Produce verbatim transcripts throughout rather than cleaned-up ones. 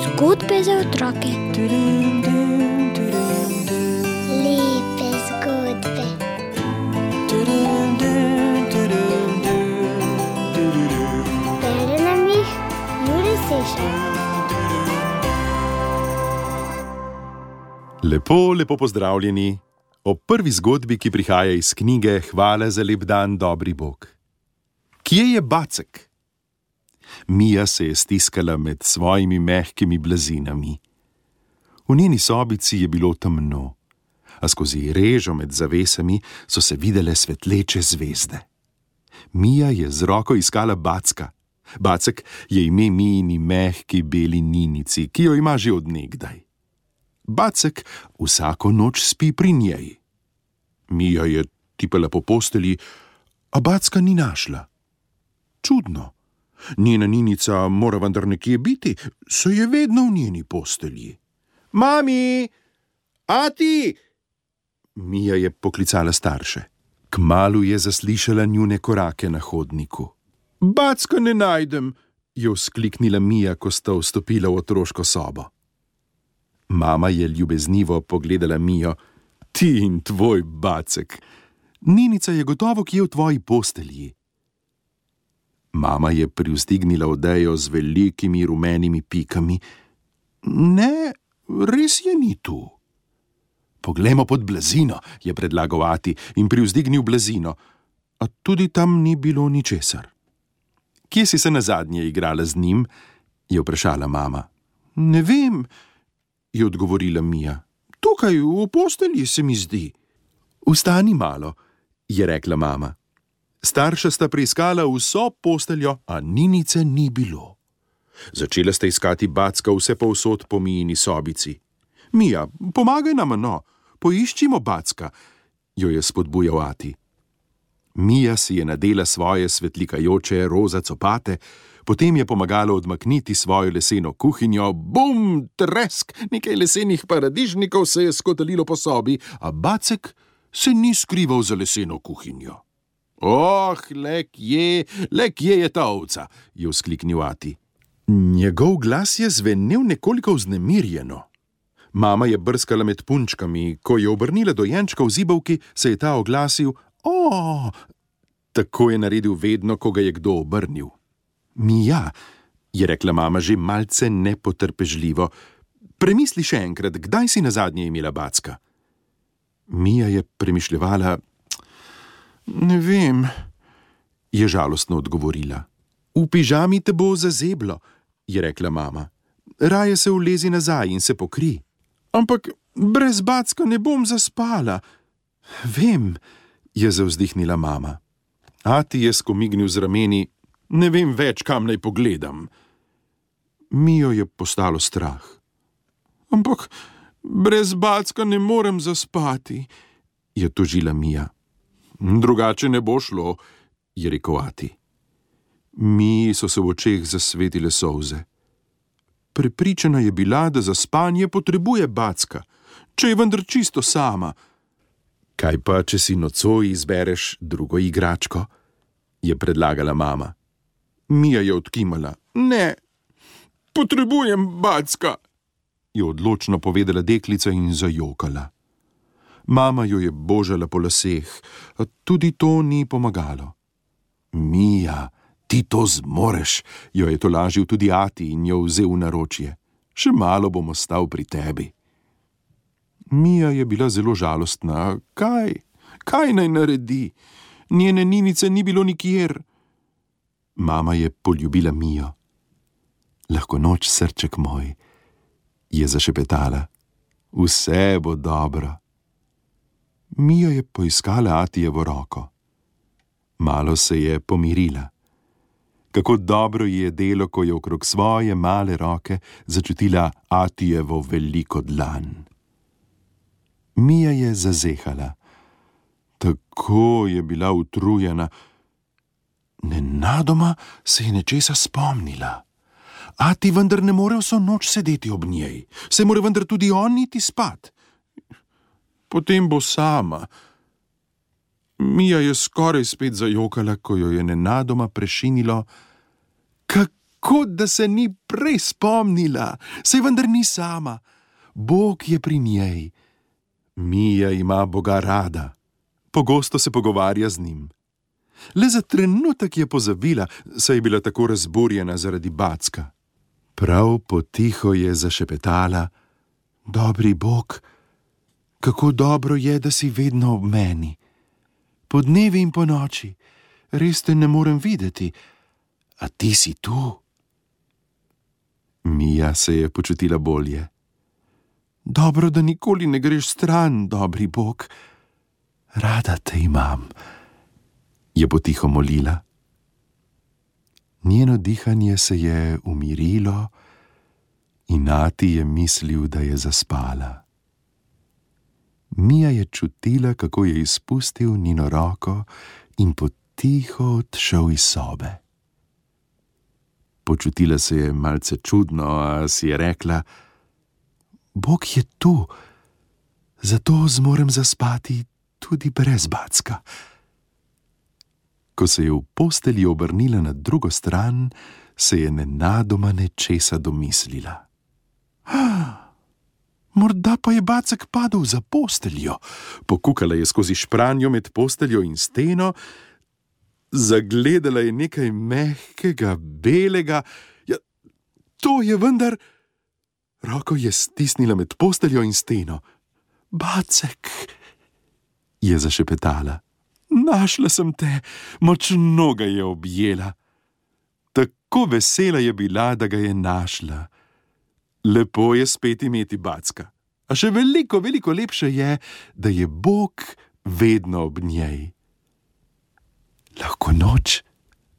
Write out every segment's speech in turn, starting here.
Zgodbe za otroke. Lepe zgodbe. Bere nam jih Jure Sešar. Lepo, lepo pozdravljeni ob prvi zgodbi, ki prihaja iz knjige Hvala za lep dan, dobri Bog. Kje je Bacek? Mija se je stiskala med svojimi mehkimi blazinami. V njeni sobici je bilo temno, a skozi režo med zavesami so se videle svetleče zvezde. Mija je z roko iskala Backa. Bacek je ime Mijini mehki beli ninici, ki jo ima že od nekdaj. Bacek vsako noč spi pri njej. Mija je tipala po postelji, a Backa ni našla. Čudno. Njena ninica mora vendar nekje biti, saj je vedno v njeni postelji. Mami! Ati! Mija je poklicala starše. Kmalu je zaslišala njune korake na hodniku. Backa ne najdem, je vzkliknila Mija, ko sta vstopila v otroško sobo. Mama je ljubeznivo pogledala Mijo. Ti in tvoj Bacek. Ninica je gotovo kje v tvoji postelji. Mama je privzdignila odejo z velikimi rumenimi pikami. Ne, res je ni tu. Poglejmo pod blazino, je predlagal ati in privzdignil blazino, a tudi tam ni bilo ničesar. Kje si se nazadnje igrala z njim? Je vprašala mama. Ne vem, je odgovorila Mija. Tukaj v postelji se mi zdi. Vstani malo, je rekla mama. Starša sta preiskala vso posteljo, a ninice ni bilo. Začela sta iskati Backa vse povsod po Mijini sobici. Mija, pomagaj nam, no, poiščimo Backa, jo je spodbujal ati. Mija si je nadela svoje svetlikajoče roza copate, potem je pomagala odmakniti svojo leseno kuhinjo. Bum, tresk, nekaj lesenih paradižnikov se je skotalilo po sobi, a Bacek se ni skrival za leseno kuhinjo. Oh, le kje, le kje je ta ovca, je vzkliknil ati. Njegov glas je zvenel nekoliko vznemirjeno. Mama je brskala med punčkami, ko je obrnila dojenčka v zibelki, se je ta oglasil. O, tako je naredil vedno, ko ga je kdo obrnil. Mija, je rekla mama že malce nepotrpežljivo, premisli še enkrat, kdaj si nazadnje imela Backa? Mija je premišljevala. Ne vem, je žalostno odgovorila. V pižami te bo zazeblo, je rekla mama. Raje se ulezi nazaj in se pokri. Ampak brez Backa ne bom zaspala. Vem, je zavzdihnila mama. Ati je skomignil z rameni. Ne vem več, kam naj pogledam. Mijo je postalo strah. Ampak brez Backa ne morem zaspati, je tožila Mija. Drugače ne bo šlo, je rekel ati. Miji so se v očeh zasvetile solze. Prepričana je bila, da za spanje potrebuje Backa, če je vendar čisto sama. Kaj pa, če si nocoj izbereš drugo igračko? Je predlagala mama. Mija je odkimala. Ne, potrebujem Backa, je odločno povedala deklica in zajokala. Mama jo je božala po laseh, a tudi to ni pomagalo. Mija, ti to zmoreš, jo je tolažil tudi ati in jo vzel v naročje. Še malo bom ostal pri tebi. Mija je bila zelo žalostna. Kaj? Kaj naj naredi? Njene ninice ni bilo nikjer. Mama je poljubila Mijo. Lahko noč, srček moj, je zašepetala. Vse bo dobro. Mija je poiskala atijevo roko. Malo se je pomirila. Kako dobro je delo, ko je okrog svoje male roke začutila atijevo veliko dlan. Mija je zazehala. Tako je bila utrujena. Nenadoma se je nečesa spomnila. Ati vendar ne more vso noč sedeti ob njej. Se mora vendar tudi on iti spat. Potem bo sama. Mija je skoraj spet zajokala, ko jo je nenadoma prešinilo. Kako da se ni prej spomnila, saj vendar ni sama. Bog je pri njej. Mija ima Boga rada. Pogosto se pogovarja z njim. Le za trenutek je pozabila, saj je bila tako razburjena zaradi Backa. Prav potiho je zašepetala: Dobri Bog, kako dobro je, da si vedno ob meni. Po dnevi in po noči, res te ne morem videti, a ti si tu. Mija se je počutila bolje. Dobro, da nikoli ne greš stran, dobri Bog. Rada te imam, je potiho molila. Njeno dihanje se je umirilo in Nati je mislil, da je zaspala. Mija je čutila, kako je izpustil njeno roko in potiho odšel iz sobe. Počutila se je malce čudno, a si je rekla: Bog je tu, zato zmorem zaspati tudi brez Backa. Ko se je v postelji obrnila na drugo stran, se je nenadoma nečesa domislila. Morda pa je Bacek padel za posteljo. Pokukala je skozi špranjo med posteljo in steno. Zagledala je nekaj mehkega, belega. Ja, to je vendar... Roko je stisnila med posteljo in steno. Bacek, je zašepetala. Našla sem te, močno ga je objela. Tako vesela je bila, da ga je našla. Lepo je spet imeti Backa, a še veliko, veliko lepše je, da je Bog vedno ob njej. Lahko noč,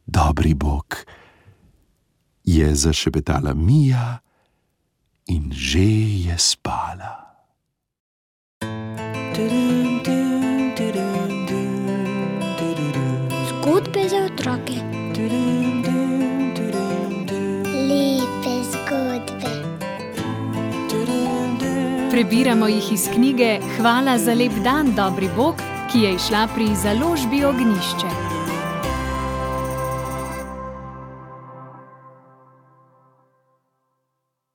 dobri Bog, je zašepetala Mija in že je spala. Zgodbe za otroke. Lepe zgodbe. Prebiramo jih iz knjige Hvala za lep dan, dobri Bog, ki je izšla pri založbi Ognjišče.